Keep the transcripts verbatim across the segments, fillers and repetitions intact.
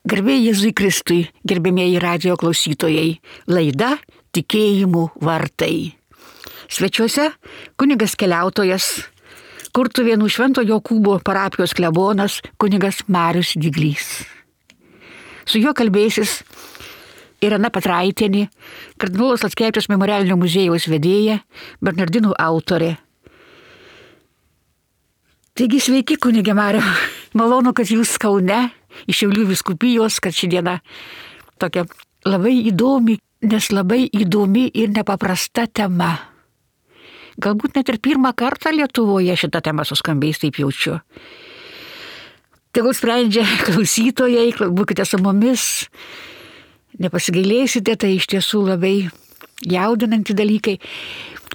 Garbė Jėzui Kristui, gerbėmieji radijo klausytojai, laida Tikėjimų vartai. Svečiuose kunigas keliautojas, Kurtuvėnų Švento Jokūbo parapijos klebonas kunigas Marius Diglys. Su juo kalbėsis Irena Petraitienė, kardinolo Sladkevičiaus memorialinio muziejaus vedėja, Bernardinų autorė. Taigi sveiki, kunige Mariau, malonu, kad jūs Kaune, iš Šiaulių vyskupijos, kad ši diena tokia labai įdomi, nes labai įdomi ir nepaprasta tema. Galbūt net ir pirmą kartą Lietuvoje šitą temą suskambės, taip jaučiu. Tegul sprendžia klausytojai, būkite su mumis, nepasigailėsite, tai iš tiesų labai jaudinanti dalykai.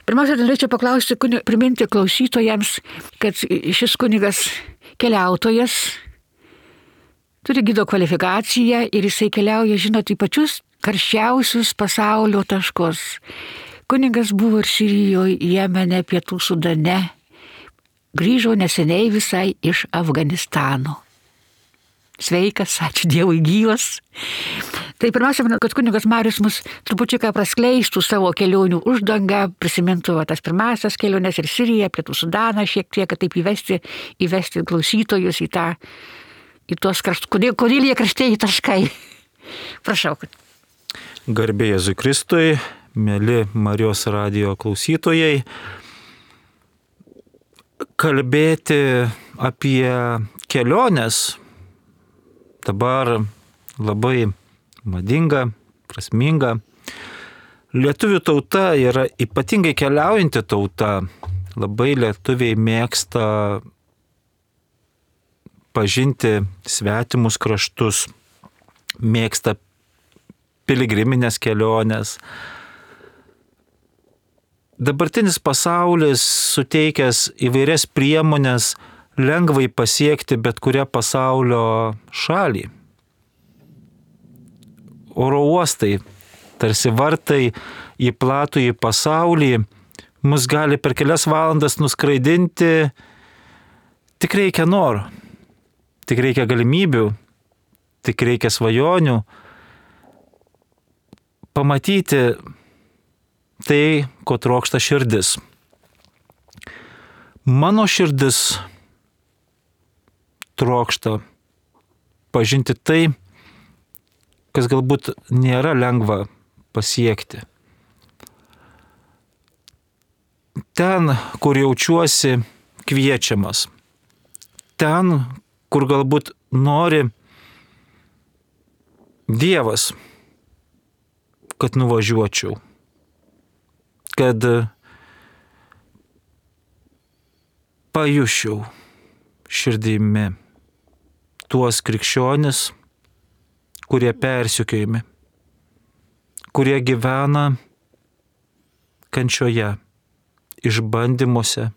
Pirmiausia, norėčiau paklausti, priminti klausytojams, kad šis kunigas keliautojas turi gido kvalifikaciją ir jisai keliauja, žinot, į pačius karščiausius pasaulio taškus. Kunigas buvo ir Sirijoje, Jemene, Pietų Sudane. Grįžo neseniai visai iš Afganistano. Sveikas, ačiū Dievui, gyvas. Tai pirmiausia, kad kunigas Marius mus trupučiuką praskleistų savo kelionių uždangą, prisimintų va, tas pirmasias keliones ir Siriją, Pietų Sudaną, šiek tiek, kad taip įvesti, įvesti klausytojus į tą, į tuos kraštus. Kodėl, kodėl jie kraštieji taškai? Prašau. Garbė Jėzui Kristui, mėly Marijos radijo klausytojai. Kalbėti apie keliones dabar labai madinga, prasminga. Lietuvių tauta yra ypatingai keliaujanti tauta. Labai lietuviai mėgsta pažinti svetimus kraštus, mėgsta piligriminės keliones. Dabartinis pasaulis suteikęs įvairias priemonės lengvai pasiekti bet kurią pasaulio šalį. Oro uostai, tarsi vartai į platųjį pasaulį, mus gali per kelias valandas nuskraidinti. Tik reikia noro, tik reikia galimybių, tik reikia svajonių pamatyti tai, ko trokšta širdis. Mano širdis trokšta pažinti tai, kas galbūt nėra lengva pasiekti. Ten, kur jaučiuosi kviečiamas. Ten, kur galbūt nori Dievas, kad nuvažiuočiau. Kad pajusčiau širdimi tuos krikščionis, kurie persekiojami, kurie gyvena kančioje, išbandymuose,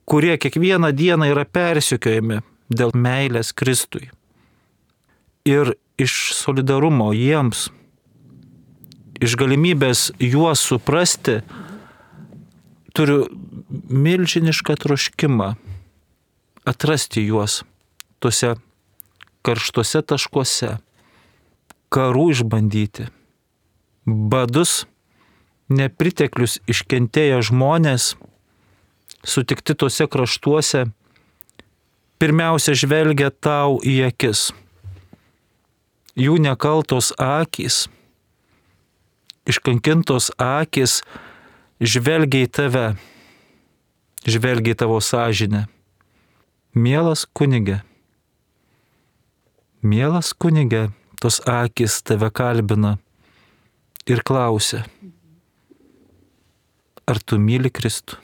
kurie kiekvieną dieną yra persekiojami dėl meilės Kristui. Ir iš solidarumo jiems, iš galimybės juos suprasti, turiu milžinišką troškimą atrasti juos tuose karštuose taškuose, karų išbandyti, badus, nepriteklius iškentėję žmonės, sutikti tuose kraštuose, pirmiausia žvelgia tau į akis. Jų nekaltos akys, iškankintos akys žvelgia į tave, žvelgia į tavo sąžinę. Mielas kunige, mielas kunige, tos akys tave kalbina ir klausia, ar tu myli Kristų?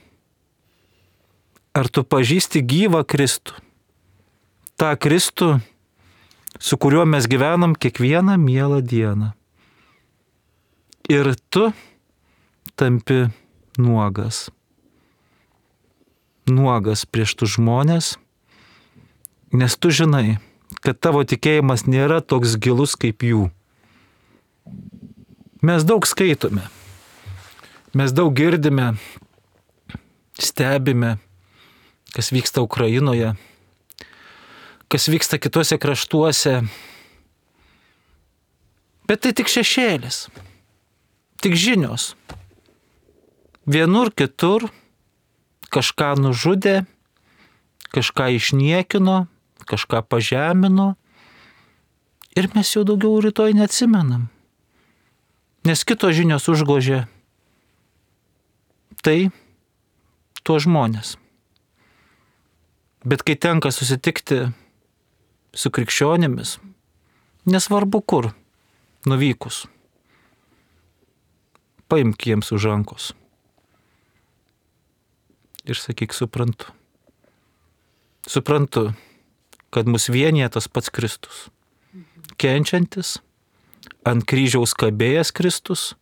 Ar tu pažįsti gyvą Kristų? Ta Kristų, su kuriuo mes gyvenam kiekvieną mielą dieną. Ir tu tampi nuogas. Nuogas prieš tų žmonės, nes tu žinai, kad tavo tikėjimas nėra toks gilus kaip jų. Mes daug skaitome, mes daug girdime, stebime, kas vyksta Ukrainoje. kas vyksta kitose kraštuose. Bet tai tik šešėlis, tik žinios. Vienur kitur kažką nužudė, kažką išniekino, kažką pažemino ir mes jau daugiau rytoj neatsimenam, nes kitos žinios užgožė tai tuos žmonės. Bet kai tenka susitikti su krikščionimis, nesvarbu kur, nuvykus, paimk jiems už rankos ir sakyk, suprantu. Suprantu, kad mus vienyje tas pats Kristus. Kenčiantis, ant kryžiaus kabėjęs Kristus.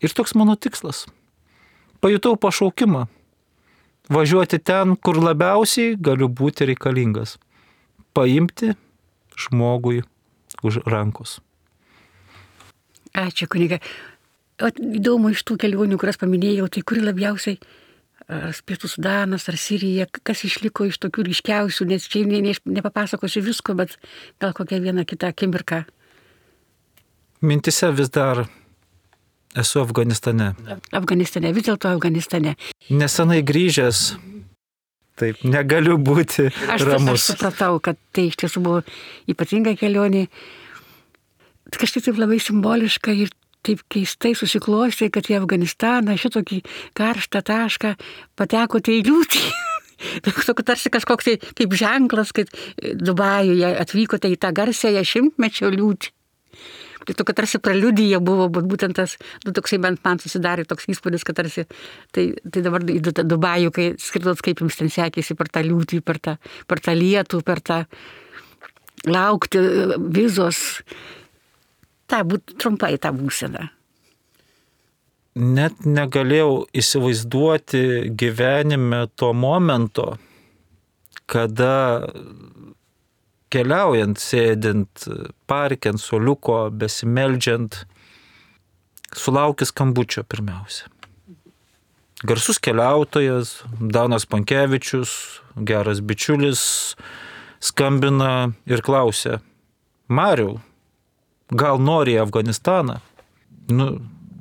Ir toks mano tikslas. Pajutau pašaukimą. Važiuoti ten, kur labiausiai galiu būti reikalingas. Paimti žmogui už rankos. Ačiū, kuniga. O įdomu iš tų kelionių, kurias paminėjau, tai kuri labiausiai, ar Pietų Sudanas, ar Sirija, kas išliko iš tokių ryškiausių, nes čia ne, ne, nepapasakosiu visko, bet gal kokią vieną kitą akimirką. Mintise vis dar esu Afganistane. Afganistane, vis dėlto Afganistane. Nesenai grįžęs, taip, negaliu būti aš, ramus. Aš supratau, kad tai iš tiesų buvo ypatinga kelionė. Kažkaip taip labai simboliška ir taip keistai susiklostė, kad į Afganistaną šitokį karštą tašką patekote į liūtį. Tarsi kažkoks tai kaip ženklas, kad Dubajuje atvykote į tą garsiąją šimtmečio liūtį. Tai tokia tarsi preliudija buvo, bet būtent tas, nu, toksai bent man susidarė toks įspūdis, kad tarsi, tai, tai dabar į Dubajų, kai skridot, kaip jums ten sekėsi per tą liūtį, per tą, per tą lietų, per tą laukti vizos. Ta, būt, trumpai tą būseną. Net negalėjau įsivaizduoti gyvenime to momento, kada keliaujant, sėdint parke ant suoliuko, besimeldžiant, sulaukė skambučio pirmiausia. Garsus keliautojas, Danas Pankevičius, geras bičiulis, skambina ir klausia: Mariau, gal nori į Afganistaną? Nu,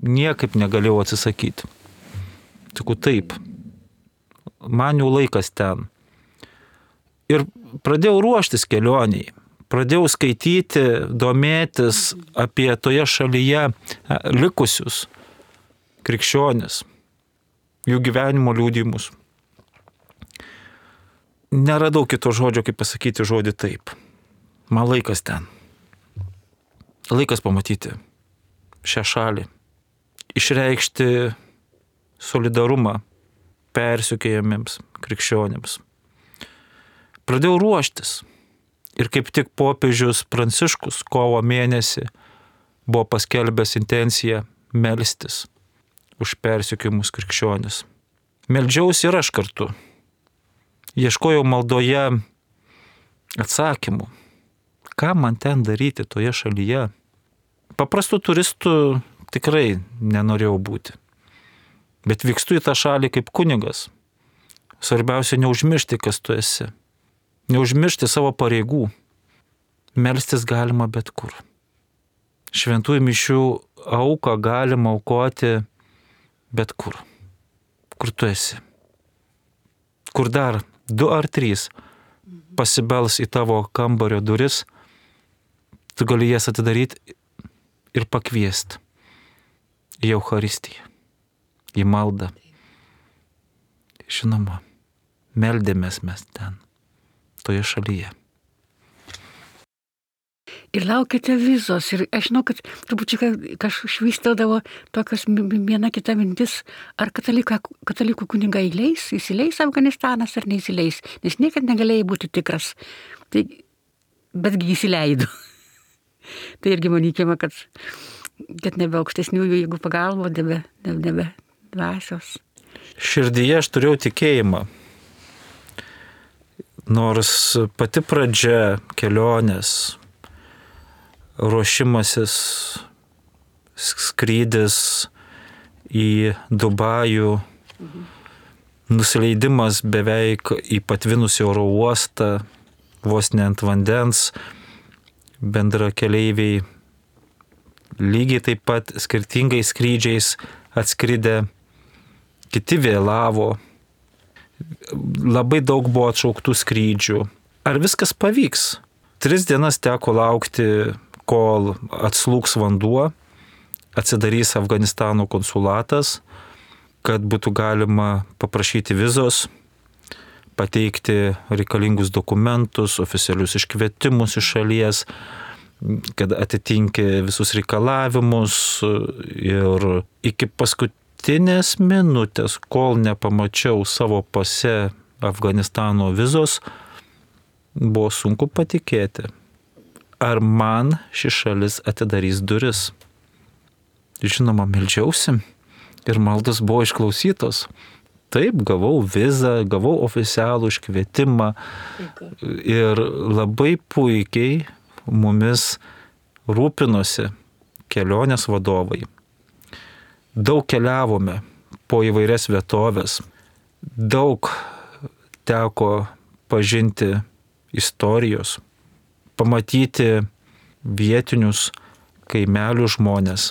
niekaip negalėjau atsisakyti. Sakau, taip, man jau laikas ten. Ir pradėjau ruoštis kelioniai. Pradėjau skaityti, domėtis apie toje šalyje likusius krikščionis, jų gyvenimo liudijimus. Neradau kito žodžio, kaip pasakyti žodį taip. Man laikas ten. Laikas pamatyti šią šalį, išreikšti solidarumą persekiojamiems krikščionims. Pradėjau ruoštis ir kaip tik popiežius Pranciškus kovo mėnesį buvo paskelbęs intenciją melstis už persekiojamus krikščionis. Meldžiausi ir aš kartu. Ieškojau maldoje atsakymų, ką man ten daryti toje šalyje. Paprastų turistų tikrai nenorėjau būti. Bet vykstu į tą šalį kaip kunigas. Svarbiausia neužmiršti, kas tu esi. Neužmiršti savo pareigų. Melstis galima bet kur. Šventųjų mišių auką galima aukoti bet kur. Kur tu esi. Kur dar du ar trys pasibels į tavo kambario duris, tu gali jas atidaryti ir pakviesti į Eucharistiją, į maldą. Žinoma, meldėmės mes ten, toje šalyje. Ir laukite vizos. Ir aš žinau, kad turbūt kažkaip švystildavo tokios viena kita mintis, ar kataliką, katalikų kunigai įleis, įsileis Afganistanas ar neįsileis, nes niekad negalėjai būti tikras. Tai, betgi įsileido. Tai irgi manykime, kad, kad nebe aukštesniųjų jėgų pagalbo, nebe, nebe dvasios. Širdyje aš turėjau tikėjimą. Nors pati pradžia kelionės, ruošimasis, skrydis į Dubajų, mhm. nusileidimas beveik į patvinusį oro uostą, vos ne ant vandens, bendra keleiviai lygiai taip pat skirtingais skrydžiais atskridę, kiti vėlavo, labai daug buvo atšauktų skrydžių. Ar viskas pavyks? Tris dienas teko laukti, kol atslūgs vanduo, atsidarys Afganistano konsulatas, kad būtų galima paprašyti vizos, pateikti reikalingus dokumentus, oficialius iškvietimus iš šalies, kad atitinki visus reikalavimus ir iki paskutinės minutės, kol nepamačiau savo pase Afganistano vizos, buvo sunku patikėti, ar man ši šalis atidarys duris. Žinoma, meldžiausi ir maldos buvo išklausytos. Taip, gavau vizą, gavau oficialų iškvietimą ir labai puikiai mumis rūpinosi kelionės vadovai. Daug keliavome po įvairias vietovės, daug teko pažinti istorijos, pamatyti vietinius kaimelių žmonės.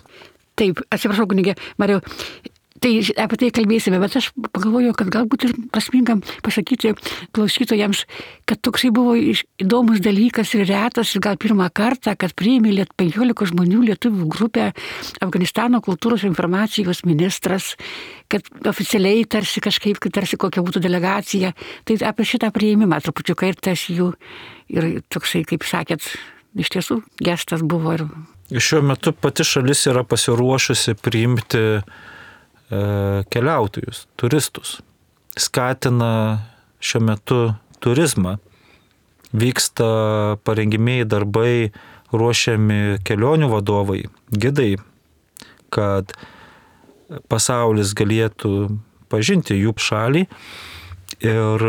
Taip, atsiprašau, kunigė Mariau, tai apie tai kalbėsime, bet aš pagalvoju, kad galbūt ir prasminga pasakyti klausytojams, kad toksai buvo įdomus dalykas ir retas, ir gal pirmą kartą, kad priėmė penkiolika žmonių lietuvių grupę Afganistano kultūros ir informacijos ministras, kad oficialiai tarsi kažkaip, tarsi kokia būtų delegacija. Tai apie šitą priėmimą trupučiuką ir tas jų, ir toksai, kaip sakėt, iš tiesų gestas buvo. Ir... Šiuo metu pati šalis yra pasiruošusi priimti e, keliautojus, turistus. Skatina šiuo metu turizmą. Vyksta parengimieji darbai, ruošiami kelionių vadovai, gidai, kad pasaulis galėtų pažinti jų šalį ir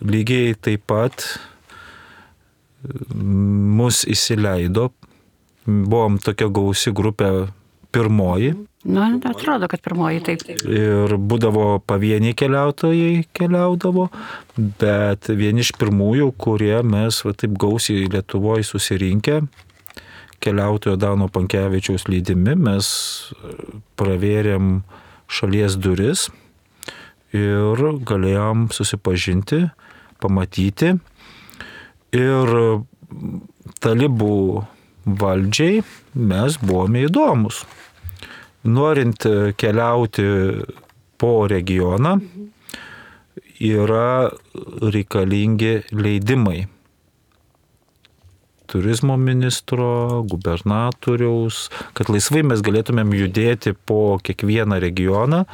lygiai taip pat mus įsileido. Buvom tokia gausi grupė pirmoji. Na, atrodo, kad pirmoji taip. Ir būdavo pavieniai keliautojai keliaudavo, bet vieni iš pirmųjų, kurie mes va, taip gausiai Lietuvoje susirinkę, keliautojo Dano Pankevičiaus lydimi, mes pravėrėm šalies duris ir galėjom susipažinti, pamatyti. Ir talibų valdžiai mes buvome įdomus. Norint keliauti po regioną, yra reikalingi leidimai. Turizmo ministro, gubernatoriaus, kad laisvai mes galėtumėm judėti po kiekvieną regioną,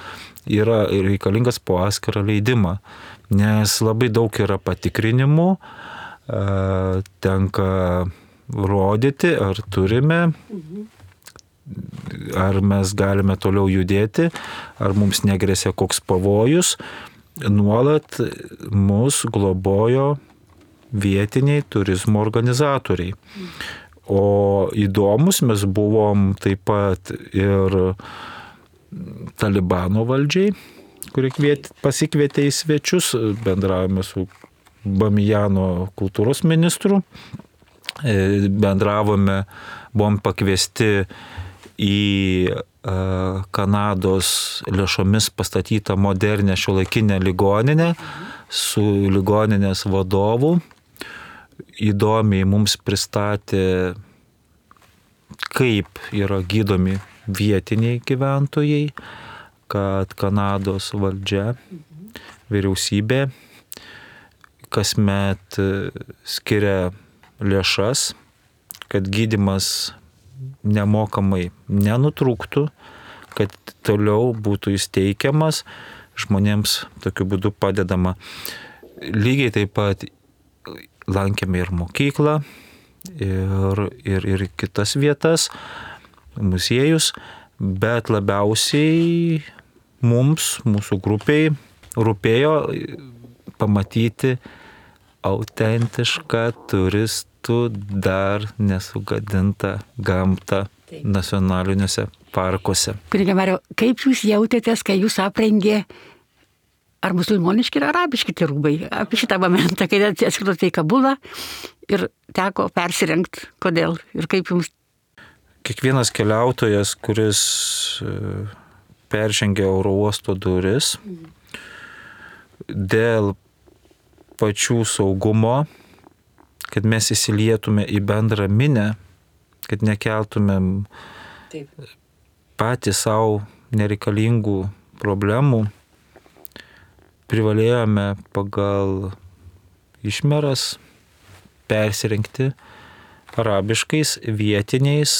yra reikalingas po atskirą leidimą. Nes labai daug yra patikrinimų, tenka rodyti, ar turime, ar mes galime toliau judėti, ar mums negresia koks pavojus. Nuolat mus globojo vietiniai turizmo organizatoriai. O įdomus mes buvom taip pat ir Talibano valdžiai, kurie kviet, pasikvietė į svečius, bendravome su Bamijano kultūros ministru. Bendravome, buvom pakviesti į Kanados lėšomis pastatytą modernę šiuolaikinę ligoninę su ligoninės vadovu. Įdomiai mums pristatė, kaip yra gydomi vietiniai gyventojai, kad Kanados valdžia, vyriausybė kasmet skiria lėšas, kad gydymas nemokamai nenutrūktų, kad toliau būtų įsteigiamas, žmonėms tokiu būdu padedama. Lygiai taip pat lankėme ir mokyklą, ir, ir, ir kitas vietas, muziejus, bet labiausiai mums, mūsų grupiai, rūpėjo pamatyti autentišką turistų dar nesugadintą gamtą nacionaliniuose parkuose. Kunige Mariau, kaip jūs jautėtės, kai jūs aprengė ar musulmoniški, ar arabiški tie rūbai. Apie šitą momentą, kai atskridote į Kabulą ir teko persirengti, kodėl ir kaip jums. Kiekvienas keliautojas, kuris peržengia oro uosto duris, dėl pačių saugumo, kad mes įsilietume į bendrą minę, kad nekeltumėm Taip. patys savo nereikalingų problemų, privalėjome pagal išmeras persirengti arabiškais vietiniais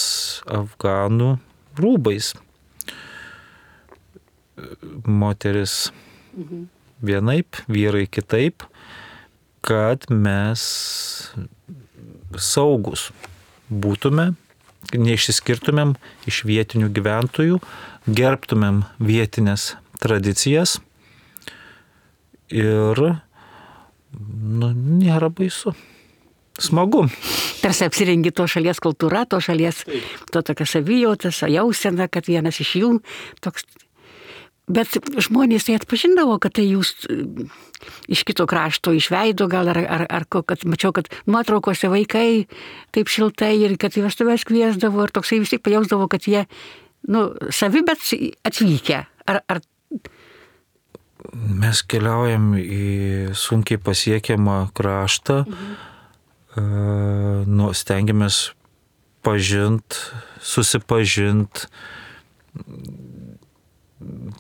afganų rūbais. Moteris mhm. vienaip, vyrai kitaip, kad mes saugus būtume, neišsiskirtumėm iš vietinių gyventojų, gerbtumėm vietinės tradicijas ir nu, nėra baisu. Smagu. Tarsi apsirengi to šalies kultūra, to šalies, to tokia savijauta, jausena, kad vienas iš jų toks. Bet žmonės tai atpažindavo, kad tai jūs iš kito krašto, iš veido gal, ar, ar, ar kad mačiau, kad nuotraukose vaikai taip šiltai ir kad į vestuves kviesdavo ir toksai vis tik pajausdavo, kad jie, nu, savi, bet atvykę. Ar, ar... Mes keliaujam į sunkiai pasiekiamą kraštą, mhm. uh, nu, stengiamės pažint, susipažint,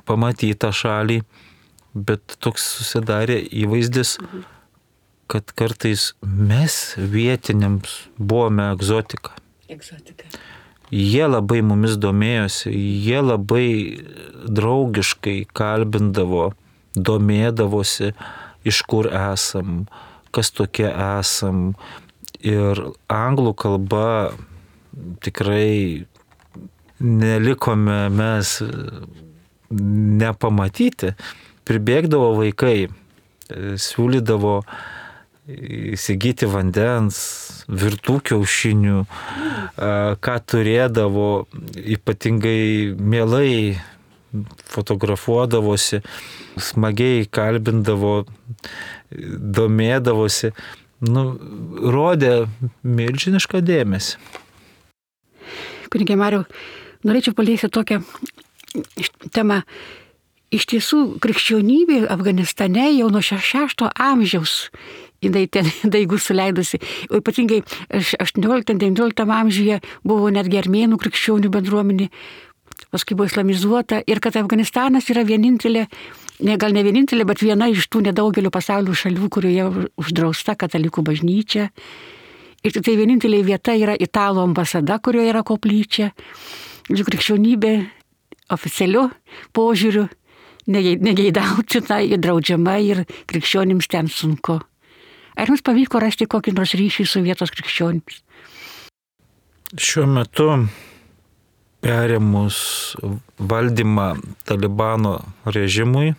pamatyti tą šalį, bet toks susidarė įvaizdis, kad kartais mes vietiniams buvome egzotika. Egzotika. Jie labai mumis domėjosi, jie labai draugiškai kalbindavo, domėdavosi, iš kur esam, kas tokie esam. Ir anglų kalba tikrai nelikome mes nepamatyti. Pribėgdavo vaikai, siūlydavo įsigyti vandens, virtų kiaušinių, ką turėdavo, ypatingai mielai fotografuodavosi, smagiai kalbindavo, domėdavosi, nu, rodė milžinišką dėmesį. Kunige Mariau, norėčiau paliesti tokią temą. Iš tiesų, krikščionybė Afganistane jau nuo šešto amžiaus jinai ten daigų suleidusi. O ypatingai aštuonioliktam devynioliktam amžiuje buvo netgi armėnų krikščionių bendruomenė, paskui buvo islamizuota ir kad Afganistanas yra vienintelė, ne, gal ne vienintelė, bet viena iš tų nedaugelio pasaulio šalių, kurioje uždrausta katalikų bažnyčia. Ir tai vienintelė vieta yra Italų ambasada, kurioje yra koplyčia. Krikščionybė oficialiu požiūriu negeidautina ir draudžiama ir krikščionims ten sunku. Ar jums pavyko rasti kokį nors ryšį su vietos krikščionims? Šiuo metu perėmus valdymą Talibano režimui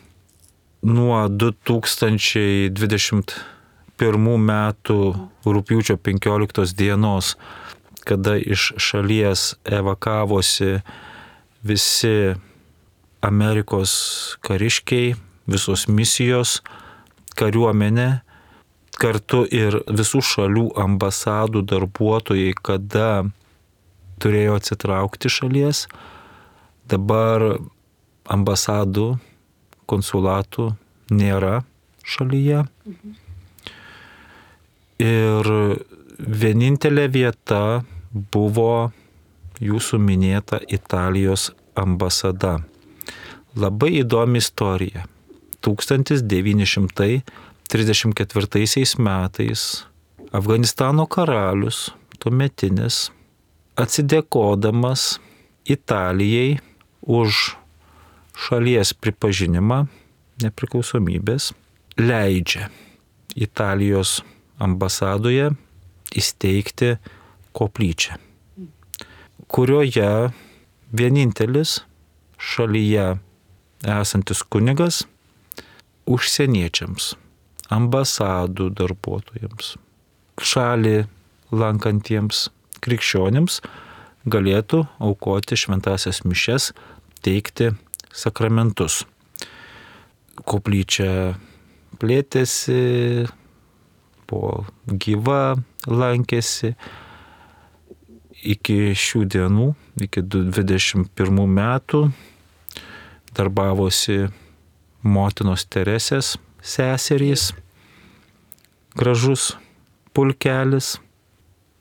nuo du tūkstančiai dvidešimt pirmų metų rugpjūčio penkioliktos dienos, kada iš šalies evakavosi visi Amerikos kariškiai, visos misijos, kariuomenė, kartu ir visų šalių ambasadų darbuotojai, kada turėjo atsitraukti šalies. Dabar ambasadų, konsulatų nėra šalyje. Mhm. Ir vienintelė vieta buvo jūsų minėta Italijos ambasada. Labai įdomi istorija. tūkstantis devyni šimtai trisdešimt ketvirtaisiais metais Afganistano karalius, tuometinis, atsidėkodamas Italijai už šalies pripažinimą nepriklausomybės, leidžia Italijos ambasadoje įsteigti koplyčią, kurioje vienintelis šalyje esantis kunigas užsieniečiams, ambasadų darbuotojams, šalį lankantiems krikščionims galėtų aukoti šventąsias mišias, teikti sakramentus. koplyčia plėtėsi, buvo gyva, lankėsi. Iki šių dienų, iki dvidešimt pirmų metų darbavosi motinos Teresės seserys, gražus pulkelis.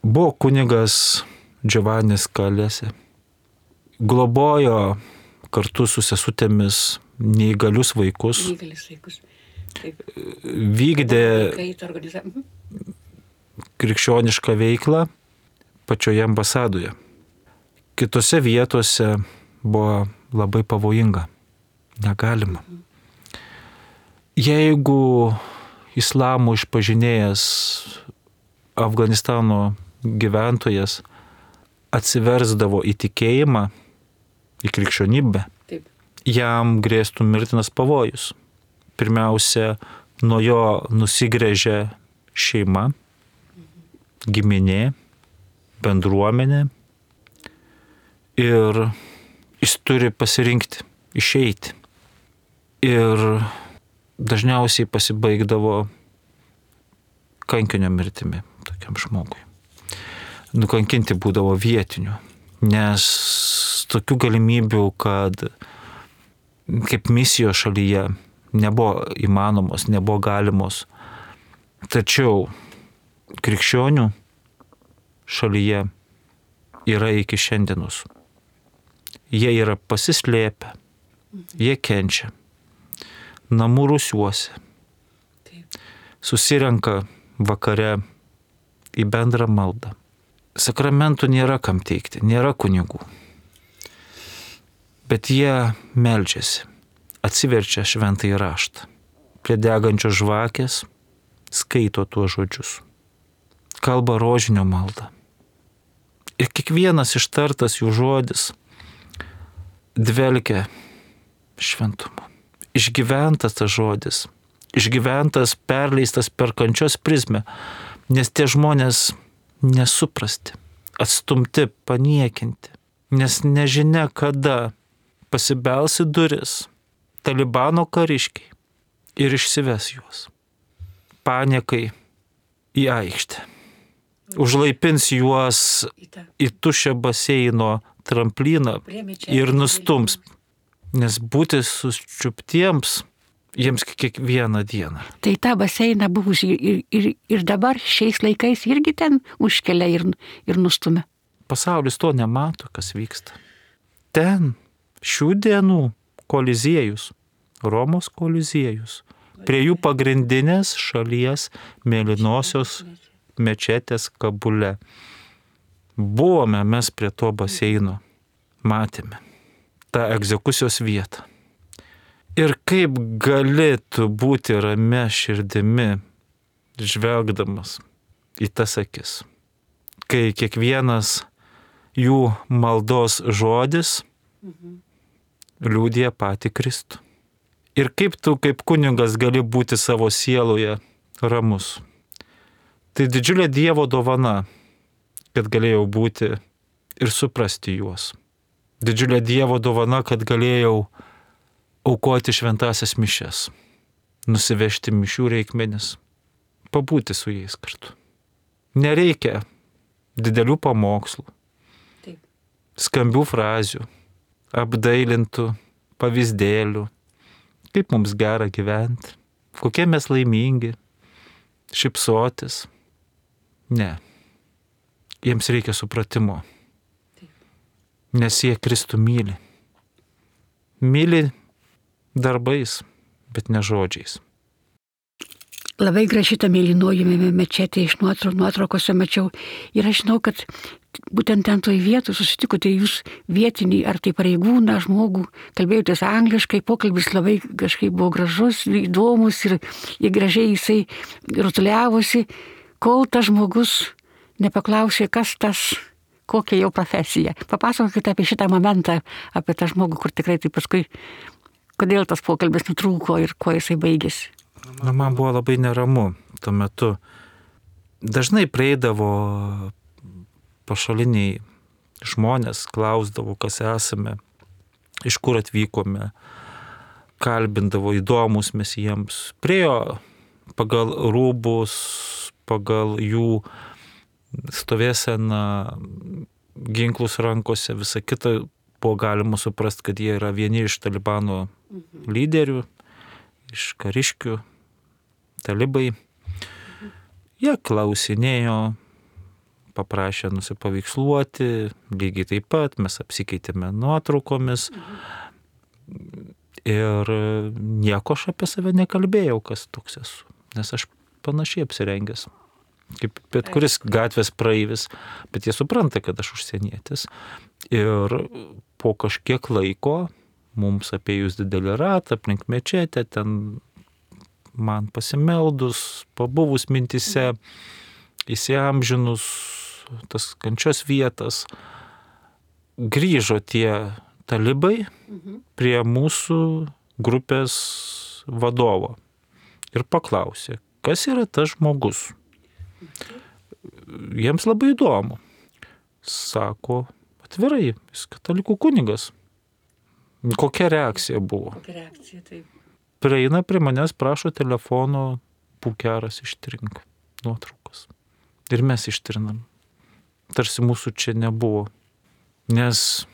Buvo kunigas Giovannis Kalėse. Globojo kartu su sesutėmis neįgalius vaikus. Neįgalius vaikus. Taip. Vykdė krikščionišką veiklą pačioje ambasadoje. Kitose vietose buvo labai pavojinga. Negalima. Jeigu islamo išpažinėjas Afganistano gyventojas atsiversdavo į tikėjimą, į krikščionybę, Taip. jam grėstų mirtinas pavojus. Pirmiausia, nuo jo nusigręžia šeima, giminė, bendruomenė ir jis turi pasirinkti, išeiti. Ir dažniausiai pasibaigdavo kankinio mirtimi tokiam žmogui. Nukankinti būdavo vietinių, nes tokių galimybių, kad kaip misijos šalyje nebuvo įmanomos, nebuvo galimos. Tačiau krikščionių šalyje yra iki šiandienos. Jie yra pasislėpę, jie kenčia, namų rūsiuose, susirenka vakare į bendrą maldą. Sakramentų nėra kam teikti, nėra kunigų. Bet jie meldžiasi, atsiverčia šventąjį raštą. Prie degančios žvakės skaito tuos žodžius. Kalba rožinio maldą. Ir kiekvienas ištartas jų žodis dvelkia šventumu. Išgyventas tas žodis, išgyventas, perleistas per kančios prizmę, nes tie žmonės nesuprasti, atstumti, paniekinti, nes nežinia kada pasibelsi duris Talibano kariškiai ir išsives juos. Paniekai į aikštę. Užlaipins juos į tuščią baseino tramplyną ir nustums, nes būti sučiuptiems jiems kiekvieną dieną. Tai tą baseiną buvusį ir, ir, ir dabar šiais laikais irgi ten užkelia ir, ir nustumia. Pasaulis to nemato, kas vyksta. Ten šių dienų koliziejus, Romos koliziejus, prie jų pagrindinės šalies mėlynosios mečetės Kabule. Buvome mes prie to baseino, matėme tą egzekucijos vietą. Ir kaip galėtų būti ramia širdimi, žvelgdamas į tas akis, kai kiekvienas jų maldos žodis liudija patį Kristų. Ir kaip tu kaip kunigas gali būti savo sieloje ramus. Tai didžiulė Dievo dovana, kad galėjau būti ir suprasti juos. Didžiulė Dievo dovana, kad galėjau aukoti šventasias mišias, nusivežti mišių reikmenis, pabūti su jais kartu. Nereikia didelių pamokslų, Taip. skambių frazių, apdailintų pavyzdėlių, kaip mums gera gyventi, kokie mes laimingi, šypsotis. Ne. Jiems reikia supratimo. Nes jie Kristų myli. Myli darbais, bet ne žodžiais. Labai graži ta mėlynoji mečetė, iš nuotraukose mačiau. Ir aš žinau, kad būtent ten toj vietoj susitikote jūs vietinį, ar tai pareigūną, žmogų, kalbėjotės angliškai, pokalbis labai kažkaip buvo gražus, įdomus ir, ir gražiai jisai rutuliavosi, kol tas žmogus nepaklausė, kas tas, kokia jo profesija. Papasakokite apie šitą momentą, apie tą žmogų, kur tikrai tai paskui, kodėl tas pokalbis nutrūko ir kuo jisai baigėsi. Na, man buvo labai neramu tuo metu. Dažnai prieidavo pašaliniai žmonės, klausdavo, kas esame, iš kur atvykome, kalbindavo įdomus mes jiems. Priejo pagal rūbus, pagal jų stovėseną, ginklus rankose, visą kitą buvo galima suprasti, kad jie yra vieni iš Talibano lyderių, iš kariškių, talibai. Jie klausinėjo, paprašė nusipaveiksluoti, lygiai taip pat mes apsikeitėme nuotraukomis ir nieko aš apie save nekalbėjau, kas toks esu, nes aš panašiai apsirengęs, kaip bet kuris gatvės praeivis, bet jie supranta, kad aš užsienietis. Ir po kažkiek laiko mums apėjus didelį ratą aplink mečetę, ten man pasimeldus, pabuvus mintise, įsiamžinus tas kančios vietas, grįžo tie talibai prie mūsų grupės vadovo ir paklausė, kas yra tas žmogus. Jiems labai įdomu. Sako, atvirai, jis katalikų kunigas. Kokia reakcija buvo? Kokia reakcija, taip. Prieina prie manęs, prašo telefono, pukeras ištrink nuotraukas. Ir mes ištrinam. Tarsi mūsų čia nebuvo. Nes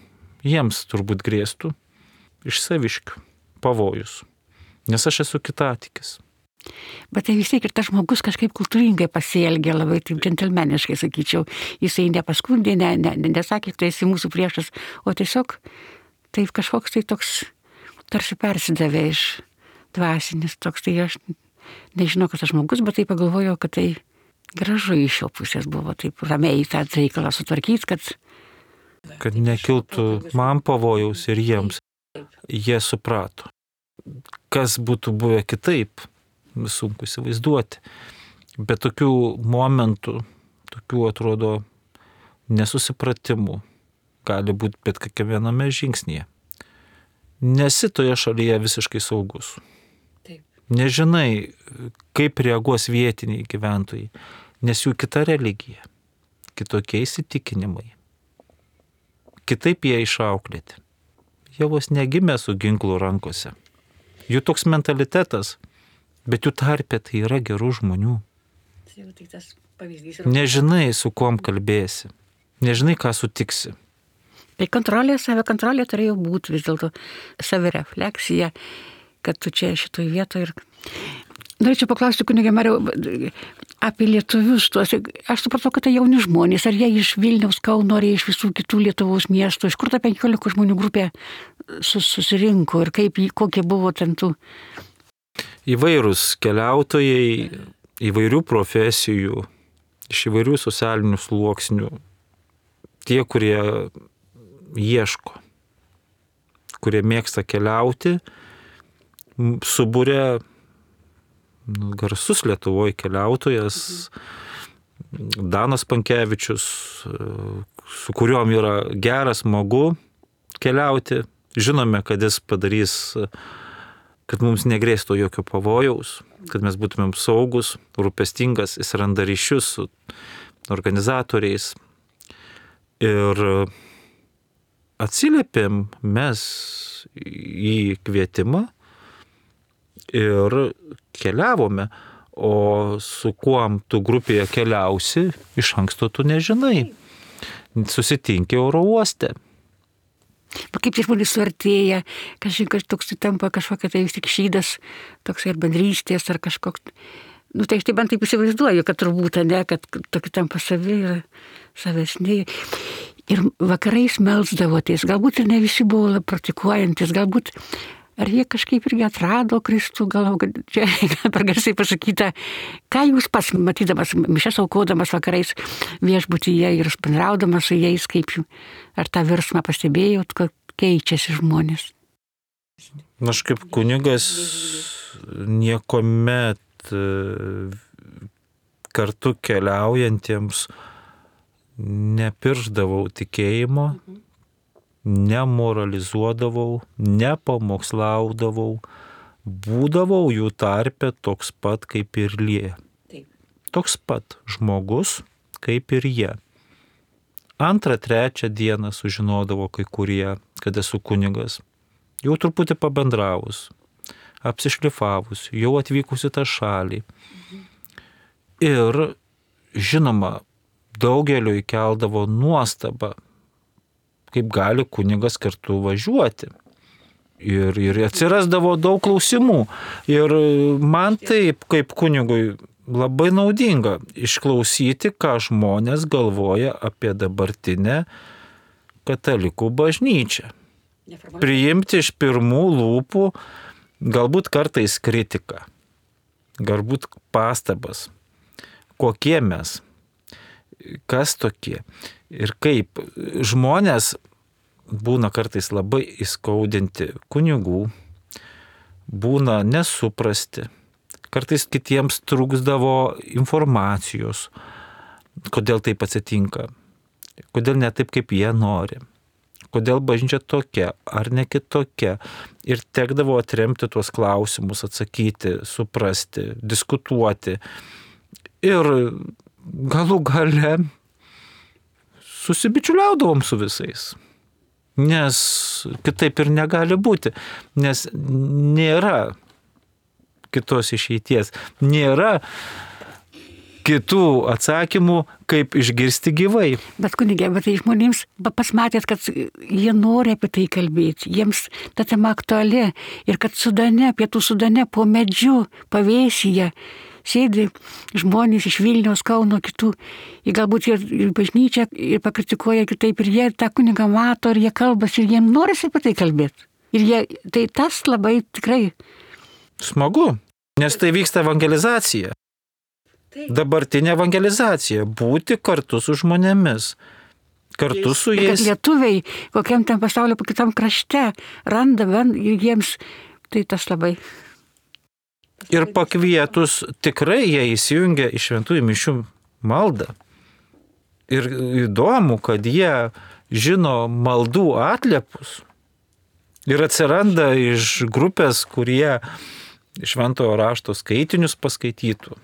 jiems turbūt grėstų iš saviškių pavojus. Nes aš esu kitatikis. Bet tai vis tiek ir tas žmogus kažkaip kultūringai pasielgė, labai taip džentelmeniškai, sakyčiau. Jisai nepaskundė, ne, ne, nesakė, tai esi mūsų priešas, o tiesiog taip kažkoks tai toks tarsi persidavė iš dvasinis toks, tai aš nežinau, kas tas žmogus, bet tai pagalvojau, kad tai gražu iš jo pusės buvo taip ramiai tą reikalą sutvarkyti, kad... Kad nekiltų man pavojaus ir jiems. Jie suprato. Kas būtų buvę kitaip, sunku įsivaizduoti. Bet tokių momentų, tokių atrodo nesusipratimų gali būti bet kiekviename žingsnyje. Nesi toje šalyje visiškai saugus. Taip. Nežinai, kaip reaguos vietiniai gyventojai, nes jų kita religija, kitokie įsitikinimai. Kitaip jie išauklėti. Jie vos negimė su ginklu rankose. Jų toks mentalitetas, bet jų tarpe tai yra gerų žmonių. Tai tas pavyzdys yra... Nežinai, su kuom kalbėsi. Nežinai, ką sutiksi. Tai kontrolė, save kontrolė turėjo būti vis dėlto savirefleksija, kad tu čia šitoj vietoje ir... Norėčiau paklausti, kunige Mariau, apie lietuvius tuos. Aš supratau, kad tai jauni žmonės, ar jie iš Vilniaus, Kauno, ar jie iš visų kitų Lietuvos miestų, iš kur ta penkiolikos žmonių grupė susirinko ir kaip, kokie buvo ten tų... Įvairūs keliautojai, įvairių profesijų, iš įvairių socialinių sluoksnių. Tie, kurie ieško, kurie mėgsta keliauti, subūrė garsus Lietuvoje keliautojas Danas Pankevičius, su kuriuom yra geras, smagu keliauti. Žinome, kad jis padarys, kad mums negrėstų jokio pavojaus, kad mes būtumėm saugus, rūpestingas, jis randa ryšius su organizatoriais. Ir atsiliepėm mes į kvietimą ir keliavome, o su kuom tu grupėje keliausi, iš anksto tu nežinai. Susitinki oro uoste. Kaip tie žmonės suartėja, kažkas toks tampa kažkokia tai vis tik šydas, toks ir bendrystės ar kažkoks. Nu tai aš taip bent taip įsivaizduoju, kad turbūt, ne, kad tokie tampa savi ir savesniai. Ir vakarais melsdavotės, galbūt ir ne visi buvo praktikuojantis, galbūt ar jie kažkaip irgi atrado Kristų, gal čia per garsiai pasakyta, ką jūs pats matydamas, mišias aukodamas vakarais viešbutyje ir bendraudamas su jais, kaip jų, ar tą virsmą pastebėjot, kad keičiasi žmonės? Aš kaip kunigas niekuomet kartu keliaujantiems nepirždavau tikėjimo, nemoralizuodavau, nepamokslaudavau, būdavau jų tarpe toks pat kaip ir jie. Toks pat žmogus kaip ir jie. Antrą, trečią dieną sužinodavo kai kurie, kad esu kunigas. Jau truputį pabendravus. apsišlifavusių, jau atvykusių tą šalį. Ir, žinoma, daugeliu įkeldavo nuostabą, kaip gali kunigas kartu važiuoti. Ir, ir atsirasdavo daug klausimų. Ir man taip, kaip kunigui, labai naudinga išklausyti, ką žmonės galvoja apie dabartinę katalikų bažnyčią. Priimti iš pirmų lūpų, galbūt kartais kritiką, galbūt pastabas, kokie mes, kas tokie ir kaip. Žmonės būna kartais labai įskaudinti kunigų, būna nesuprasti, kartais kitiems trūksdavo informacijos, kodėl taip atsitinka, kodėl ne taip, kaip jie nori, kodėl bažnyčia tokia ar ne kitokia. Ir tekdavo atremti tuos klausimus, atsakyti, suprasti, diskutuoti. Ir galų gale susibičiuliaudavom su visais. Nes kitaip ir negali būti, nes nėra kitos išeities, nėra kitų atsakymų, kaip išgirsti gyvai. Bet kunigė, bet tai žmonėms pasmatėt, kad jie nori apie tai kalbėti, jiems ta tema aktuali ir kad Sudane, pietų Sudane po medžiu pavėsyje sėdi žmonės iš Vilniaus, Kauno, kitų, jie galbūt ir, ir bažnyčią ir pakritikuoja kitaip, ir jie tą kunigą mato, ir jie kalbasi, ir jiems norisi apie tai kalbėti. Ir jie, tai tas labai tikrai smagu, nes tai vyksta evangelizacija. Taip. Dabartinė evangelizacija, būti kartu su žmonėmis, kartu su jais. Kad lietuviai kokiam ten pasaulio, kitam krašte randa, ir jiems tai tas labai. Ir pakvietus tikrai jie įsijungia į šventųjų mišių maldą. Ir įdomu, kad jie žino maldų atliepus. Ir atsiranda iš grupės, kurie šventojo rašto skaitinius paskaitytų.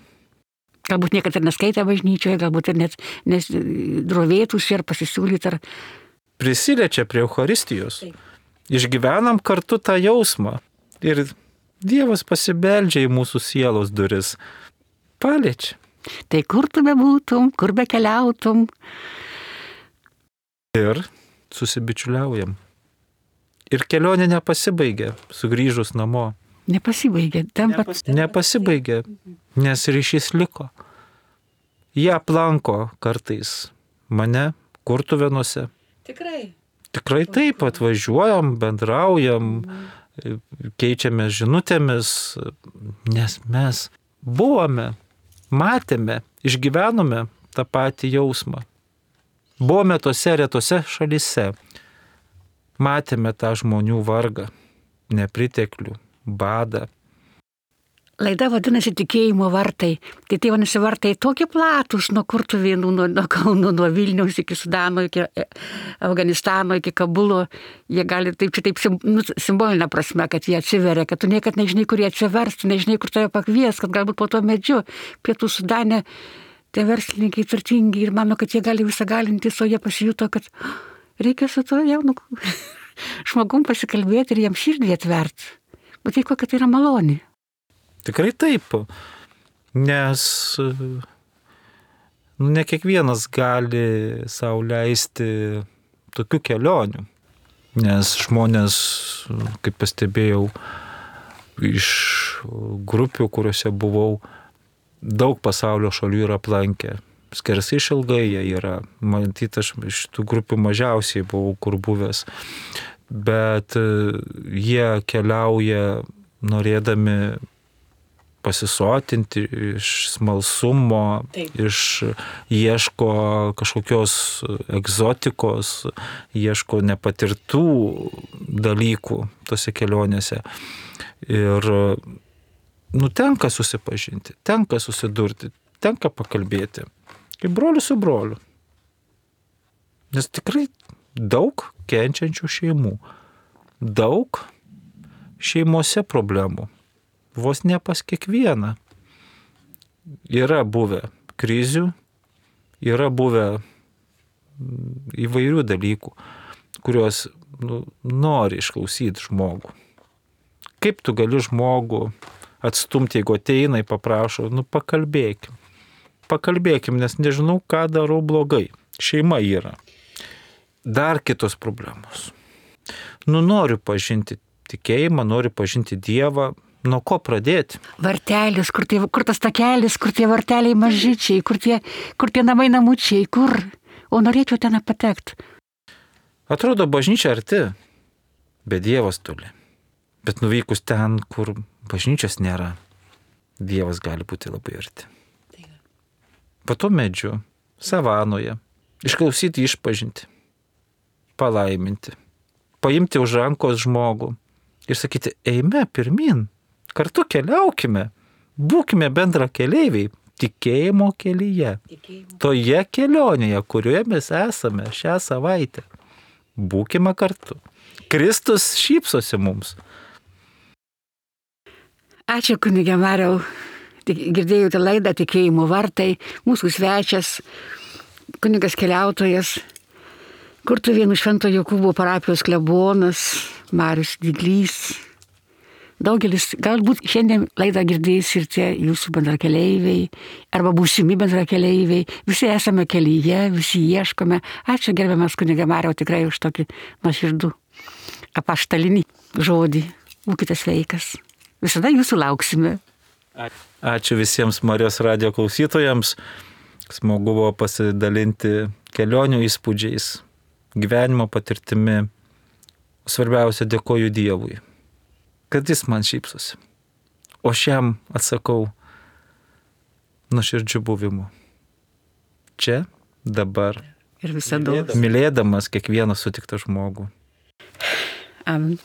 Galbūt niekada ir neskaitė bažnyčioje, galbūt ir net drovėtųsi ar pasisiūlyti. Ar... Prisiliečia prie Eucharistijos. Taip. Išgyvenam kartu tą jausmą. Ir Dievas pasibeldžia į mūsų sielos duris. Paliečia. Tai kur tu bebūtum, kur be keliautum. Ir susibičiuliaujam. Ir kelionė nepasibaigia, sugrįžus namo. Nepasibaigė. Tampa... Nepasibaigė, nes ryšys liko. Jie aplanko kartais mane Kurtuvėnuose. Tikrai. Tikrai taip, atvažiuojam, bendraujam, keičiamės žinutėmis, nes mes buvome, matėme, išgyvenome tą patį jausmą. Buvome tose retose šalyse, matėme tą žmonių vargą, nepriteklių, badą. Laida vadinasi Tikėjimo vartai. Tai tai vadinasi vartai tokie platus nuo Kurtuvėnų, nuo, nuo Kauno, nuo Vilniaus iki Sudano, iki Afganistano, iki Kabulo. Jie gali taip, čia taip nu, simbolinė prasme, kad jie atsiveria, kad tu niekad nežinai, kur jie atsivers, tu nežinai, kur tave pakvies, kad galbūt po to medžiu pietų Sudane tie verslininkai turtingi ir mano, kad jie gali visą galintis, o jie pasijuto, kad reikia su to jaunu žmogum pasikalbėti ir jam širdį atverti. Bet tai kokia tai yra malonė. Tikrai taip, nes nu, ne kiekvienas gali sau leisti tokių kelionių, nes žmonės, kaip pastebėjau, iš grupių, kuriuose buvau, daug pasaulio šalių yra aplankę. Skersai išilgai jie yra, matyt, aš iš tų grupių mažiausiai buvau kur buvęs, bet jie keliauja norėdami pasisotinti iš smalsumo, taip, iš ieško kažkokios egzotikos, ieško nepatirtų dalykų tose kelionėse. Ir nu, tenka susipažinti, tenka susidurti, tenka pakalbėti, kaip brolius su broliu. Nes tikrai daug kenčiančių šeimų, daug šeimose problemų. Vos ne pas kiekvieną. Yra buvę krizių, yra buvę įvairių dalykų, kuriuos nu, nori išklausyti žmogų. Kaip tu gali žmogų atstumti, jeigu ateina ir paprašo, nu pakalbėkim. Pakalbėkim, nes nežinau, ką darau blogai. Šeima yra. Dar kitos problemos. Nu noriu pažinti tikėjimą, noriu pažinti Dievą. Nuo ko pradėti? Vartelis, kur, tie, kur tas takelis, kur tie varteliai mažyčiai, kur tie, kur tie namai namučiai, kur. O norėčiau ten patekti. Atrodo, bažnyčia arti, bet Dievas toli. Bet nuvykus ten, kur bažnyčios nėra, Dievas gali būti labai arti. Po to medžiu, savanoje, išklausyti išpažinti, palaiminti, paimti už rankos žmogų ir sakyti, eime pirmin, kartu keliaukime, būkime bendra keleiviai, tikėjimo kelyje, tikėjimo. Toje kelionėje, kurioje mes esame šią savaitę. Būkime kartu. Kristus šypsosi mums. Ačiū kunige Mariau. Girdėjote laidą Tikėjimo vartai, mūsų svečias, kunigas keliautojas, Kurtuvėnų Švento Jokūbo parapijos klebonas, Marius Diglys. Daugelis, galbūt šiandien laidą girdės ir tie jūsų bendrakeleiviai, arba būsimi bendrakeleiviai. Visi esame kelyje, visi ieškome. Ačiū gerbiamas kunige Mariau tikrai už tokį nuoširdų apaštalinį žodį. Būkite sveikas. Visada jūsų lauksime. Ačiū visiems Marijos radijo klausytojams. Smagu buvo pasidalinti kelionių įspūdžiais, gyvenimo patirtimi. Svarbiausia, dėkoju Dievui, kad jis man šypsosi. O šiam atsakau nuoširdžiu buvimu. Čia, dabar. Ir visada. Mylėdamas kiekvieną sutiktą žmogų. Amen.